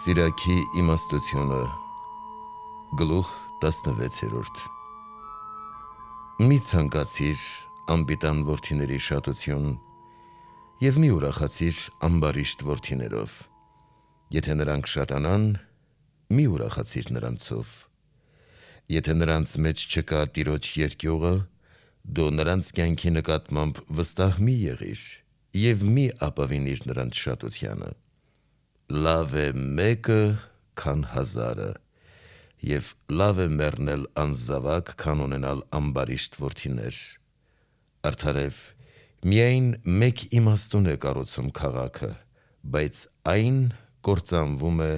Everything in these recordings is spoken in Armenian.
Սիրակի իմաստությունը Գլուխ 16 Մի ցանկացիր անպիտան որդիների շատություն և մի ուրախացիր ամբարիշտ որդիներով, եթե նրանք շատանան, մի ուրախացիր նրանցով, եթե նրանց մեջ չկա Տիրոջ երկյուղը, դու նրանց կյանքի նկատմամբ վստահ մի եղիր և մի ապավինիր նրանց շատությանը, լավ է մեկը, քան հազարը, և լավ է մեռնել անզավակ, քան ունենալ ամբարիշտ որդիներ, արդարև միայն մեկ իմաստուն է կառուցում քաղաքը, բայց այն կործանվում է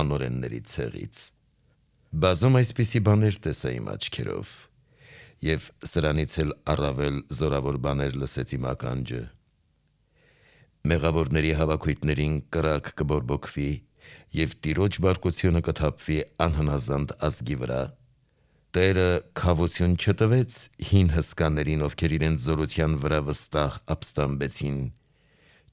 անօրենների ցեղից, բազում այսպիսի բաներ տեսա իմ աչքերով, և սրանից էլ առավել զորավոր բաներ լսեց իմ ականջը, մեղավորների հավաքույթներին կրակ կբորբոքվի և Տիրոջ բարկությունը կթափվի անհնազանդ ազգի վրա, Տերը քավություն չտվեց հին հսկաներին, ովքեր իրենց զորության վրա վստահ ապստամբեցին,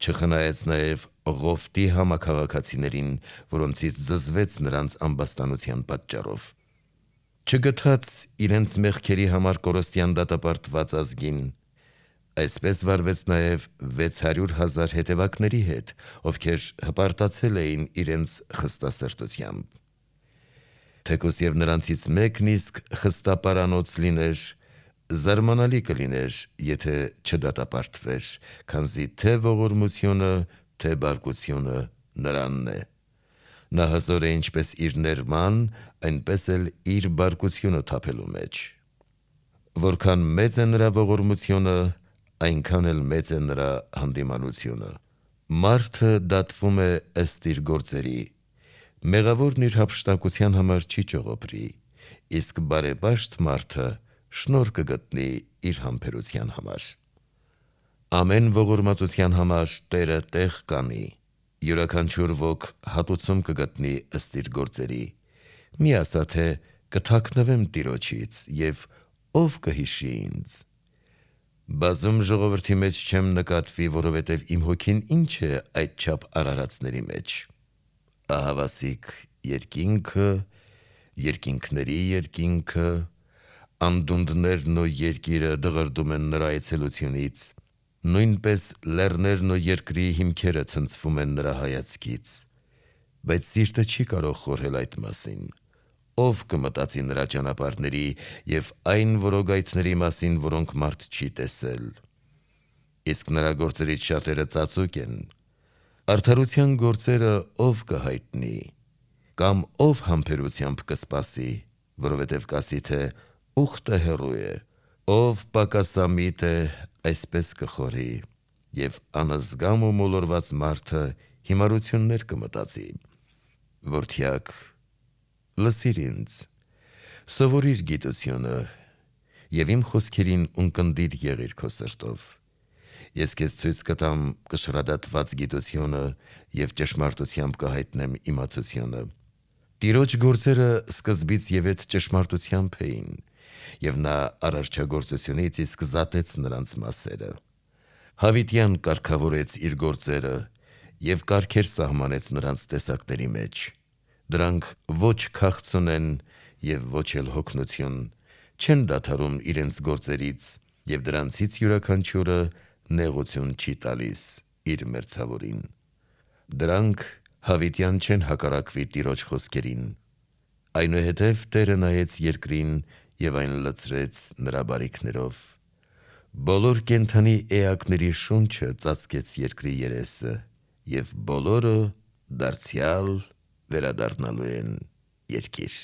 չխնայեց նաև Ղովտի համաքաղաքացիներին, որոնցից զզվեց նրանց ամբաստանության պատճառով, չգթաց իրենց մեղքերի համար կորստյան դատապարտված ազգին, այսպես վարվեց նաև 600,000 հետևակների հետ, ովքեր հպարտացել էին իրենց խստասրտությամբ, թեկուզ և նրանցից մեկն իսկ խստապարանոց լիներ, զարմանալի կլիներ, եթե չդատապարտվեր, քանզի թե ողորմությունը, թե բարկությունը նրանն է, նա հզոր է ինչպես իր ներման, այնպես էլ իր բարկությունը թափելու մեջ, որքան մեծ է նրա ողորմությունը, այնքան էլ մեծ է նրա հանդիմանությունը, մարդը դատվում է ըստ իր գործերի, մեղավորն իր հափշտակության համար չի ճողոպրի, իսկ բարեպաշտ մարդը շնորհ կգտնի իր համբերության համար, ամեն ողորմածության համար Տերը տեղ կանի, յուրաքանչյուր ոք հատուցում կգտնի ըստ իր գործերի, մի ասա թե կթաքնվեմ Տիրոջից և ով կհիշի ինձ, բազում ժողովրդի մեջ չեմ նկատվի, որովհետև իմ հոգին ինչ է այդչափ արարածների մեջ, ահավասիկ երկինքը, երկինքների երկինքը, անդունդներն ու երկիրը դղրդում են նրա այցելությունից, նույնպես լեռներն ու երկրի հիմքերը ցնցվում են նրա հայացքից, բայց սիրտը չի կարող խորհել այդ մասին, ով կմտածի նրա ճանապարհների և այն որոգայթների մասին, որոնք մարդ չի տեսել, իսկ նրա գործերից շատերը ծածուկ են, արդարության գործերը ով կհայտնի, կամ ով համբերությամբ կսպասի, որովհետև կասի թե ուխտը հեռու է, ով պակասամիտ է, այսպես կխորհի, և անզգամ ու մոլորված մարդը հիմարություններ կմտածի, որդյակ, լսիր ինձ, սովորիր գիտությունը և իմ խոսքերին ունկնդիր եղիր քո սրտով, ես քեզ ցույց կտամ կշռադատված գիտությունը և ճշմարտությամբ կհայտնեմ իմացությունը, Տիրոջ գործերը սկզբից ևեթ ճշմարտությամբ էին, և նա արարչագործությունից իսկ զատեց նրանց մասերը, Հավիտյան կարգավորեց իր գործերը և կարգեր սահմանեց նրանց տեսակների մեջ, դրանք ոչ քաղցուն են և ոչ էլ հոգնություն, չեն դադարում իրենց գործերից և դրանցից յուրաքանչյուրը նեղություն չի տալիս իր մերձավորին, դրանք հավիտյան չեն հակառակվի Տիրոջ խոսքերին, այնուհետև Տերը նայեց երկրին և այն լցրեց նրա բարիքներով, բոլոր կենդանի էակների շունչը ծածկեց երկրի երեսը և բոլորը դարձյալ վերադառնալու են երկիր։